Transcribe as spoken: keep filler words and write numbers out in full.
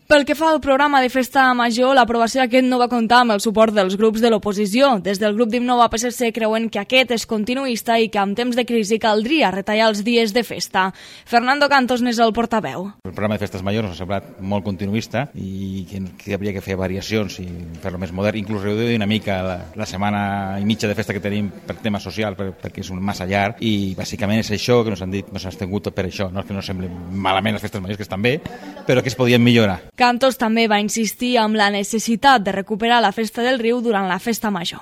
Pel que fa al programa de Festa Major, l'aprovació d'aquest no va comptar amb el suport dels grups de l'oposició. Des del grup d'Innova P S C creuen que aquest és continuista i que en temps de crisi caldria retallar els dies de festa. Fernando Cantos n'és el portaveu. El programa de Festes Majors ens ha semblat molt continuista i que, que hauria que fer variacions i fer-lo més modern, inclús reduir una mica la, la setmana i mitja de festa que tenim per tema social, per, perquè és un massa llarg, i bàsicament és això que ens han dit, ens han tingut per això, no és que no sembli malament les festes majors, que estan bé, però que es podien millorar. Cantos també va insistir en la necessitat de recuperar la Festa del Riu durant la Festa Major.